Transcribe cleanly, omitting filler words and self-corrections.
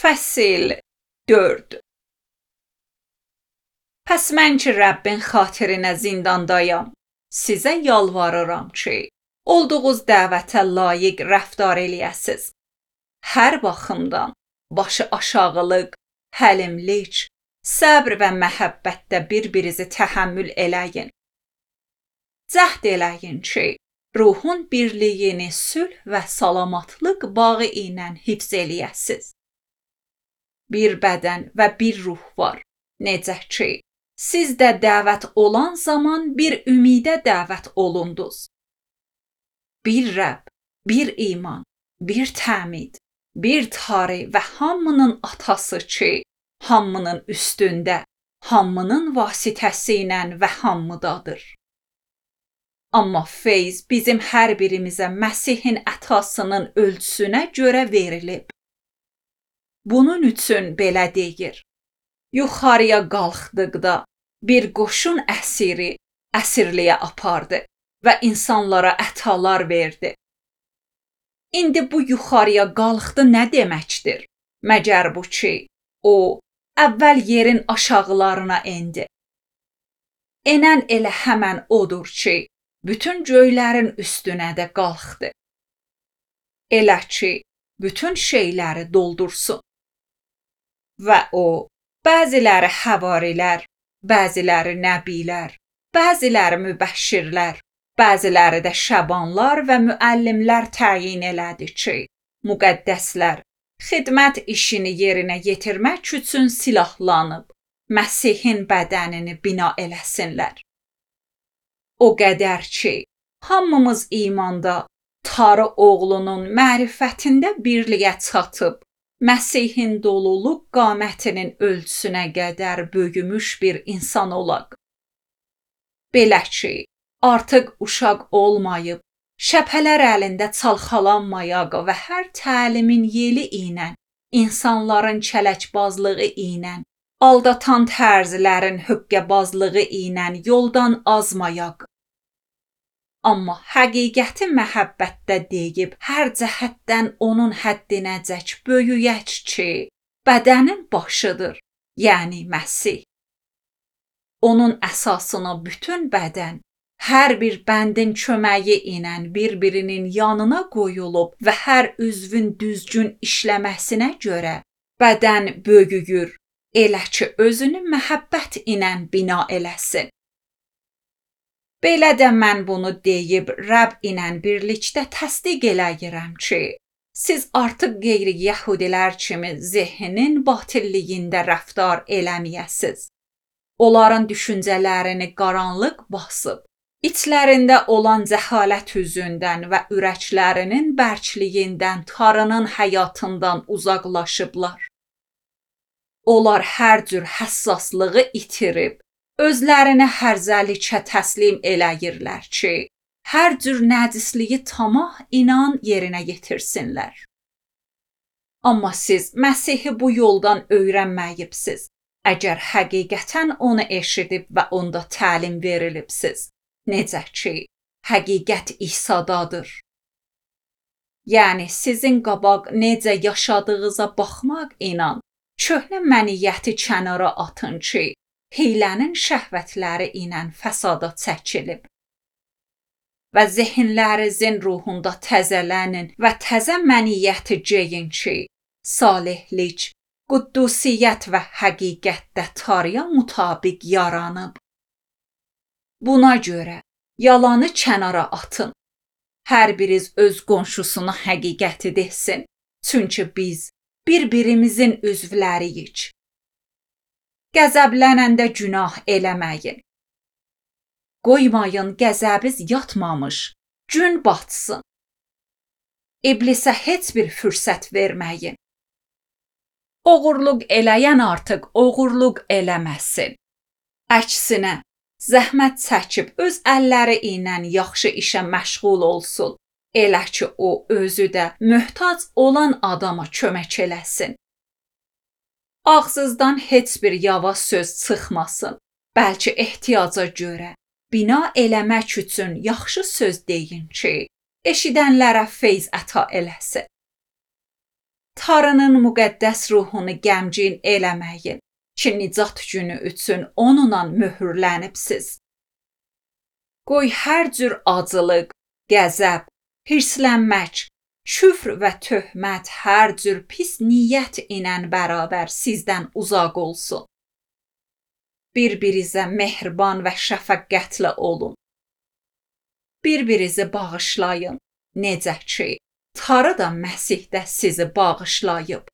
Fəsil 4. Pəs mən ki Rəbbin xatirinə zindandayam, sizə yalvarıram ki, olduğunuz dəvətə layiq rəftar eləyəsiz. Hər baxımdan başı aşağılıq, həlimlik, səbr və məhəbbətdə bir-birinizi təhəmmül eləyin. Cəhd eləyin ki, ruhun birliyini sülh və salamatlıq bağı ilə hifz eləyəsiz. Bir bədən və bir ruh var. Necə ki, siz də dəvət olan zaman bir ümidə dəvət olundunuz. Bir Rəbb, bir iman, bir təmid, bir Tanrı və hamının atası ki, hamının üstündə, hamının vasitəsi ilə və hamıdadır. Amma feyz bizim hər birimizə Məsihin ətasının ölçüsünə görə verilib. Bunun üçün belə deyir: yuxarıya qalxdıqda bir qoşun əsiri əsirliyə apardı və insanlara ətalar verdi. İndi bu yuxarıya qalxdı nə deməkdir? Məgər bu ki, o, əvvəl yerin aşağılarına endi. Enən elə həmən odur ki, bütün göylərin üstünə də qalxdı. Elə ki, bütün şeyləri doldursun. Və o, bəziləri həvarilər, bəziləri nəbilər, bəziləri mübəşşirlər, bəziləri də şəbanlar və müəllimlər təyin elədi ki, müqəddəslər xidmət işini yerinə yetirmək üçün silahlanıb, Məsihin bədənini bina eləsinlər. O qədər ki, hamımız imanda, Tanrı oğlunun mərifətində birliyə çatıb, Məsihin doluluq qamətinin ölçüsünə qədər böyümüş bir insan olaq. Belə ki, artıq uşaq olmayıb, şəpələr əlində çalxalanmayaq və hər təlimin yeli ilə, insanların kələkbazlığı ilə, aldatan tərzlərin höqqəbazlığı ilə yoldan azmayaq. Amma həqiqəti məhəbbətdə deyib, hər cəhətdən onun həddinəcək böyüyək ki, bədənin başıdır, yəni Məsih. Onun əsasına bütün bədən, hər bir bəndin köməyi ilə bir-birinin yanına qoyulub və hər üzvün düzgün işləməsinə görə bədən böyüyür, elə ki, özünü məhəbbət ilə bina eləsin. Belə də mən bunu deyib Rəbb ilə birlikdə təsdiq eləyirəm ki, siz artıq qeyri-yəhudilər kimi zehnin batilliyində rəftar eləməyəsiz. Onların düşüncələrini qaranlıq basıb, içlərində olan cəhalət üzündən və ürəklərinin bərkliyindən Tanrının həyatından uzaqlaşıblar. Onlar hər cür həssaslığı itirib, özlərini hərzəlikə təslim eləyirlər ki, hər cür nəcisliyi tamah inan yerinə yetirsinlər. Amma siz Məsihi bu yoldan öyrənməyibsiz, əgər həqiqətən onu eşidib və onda təlim verilibsiz. Necə ki, həqiqət İsa'dadır. Yəni sizin qabaq necə yaşadığınıza baxmaq ilə köhnə məniyyəti kənara atın ki, hiylənin şəhvətləri ilə fəsada çəkilib. Və zehinlərinizin ruhunda təzələnin və təzə məniyyəti geyin ki, salihlik, quddusiyyət və həqiqətdə Tanrıya mütabiq yaranıb. Buna görə yalanı kənara atın. Hər biriniz öz qonşusuna həqiqəti desin, çünki biz bir-birimizin üzvləriyik. Qəzəblənəndə günah eləməyin. Qoymayın qəzəbiz yatmamış, gün batsın. İblisə heç bir fürsət verməyin. Oğurluq eləyən artıq oğurluq eləməsin. Əksinə, zəhmət çəkib öz əlləri ilə yaxşı işə məşğul olsun. Elə ki, o özü də möhtac olan adama kömək eləsin. Ağzınızdan heç bir yava söz çıxmasın, bəlkə ehtiyaca görə, bina eləmək üçün yaxşı söz deyin ki, eşidənlərə feyz əta eləsin. Tanrının müqəddəs ruhunu qəmgin eləməyin ki, nicat günü üçün onunla möhürlənibsiz. Qoy hər cür acılıq, qəzəb, hirslənmək, küfr və töhmət, hər cür pis niyyət ilə bərabər sizdən uzaq olsun. Bir-birinizə mehriban və şəfəqətlə olun. Bir-birinizi bağışlayın, necə ki, Tanrı da Məsihdə sizi bağışlayıb.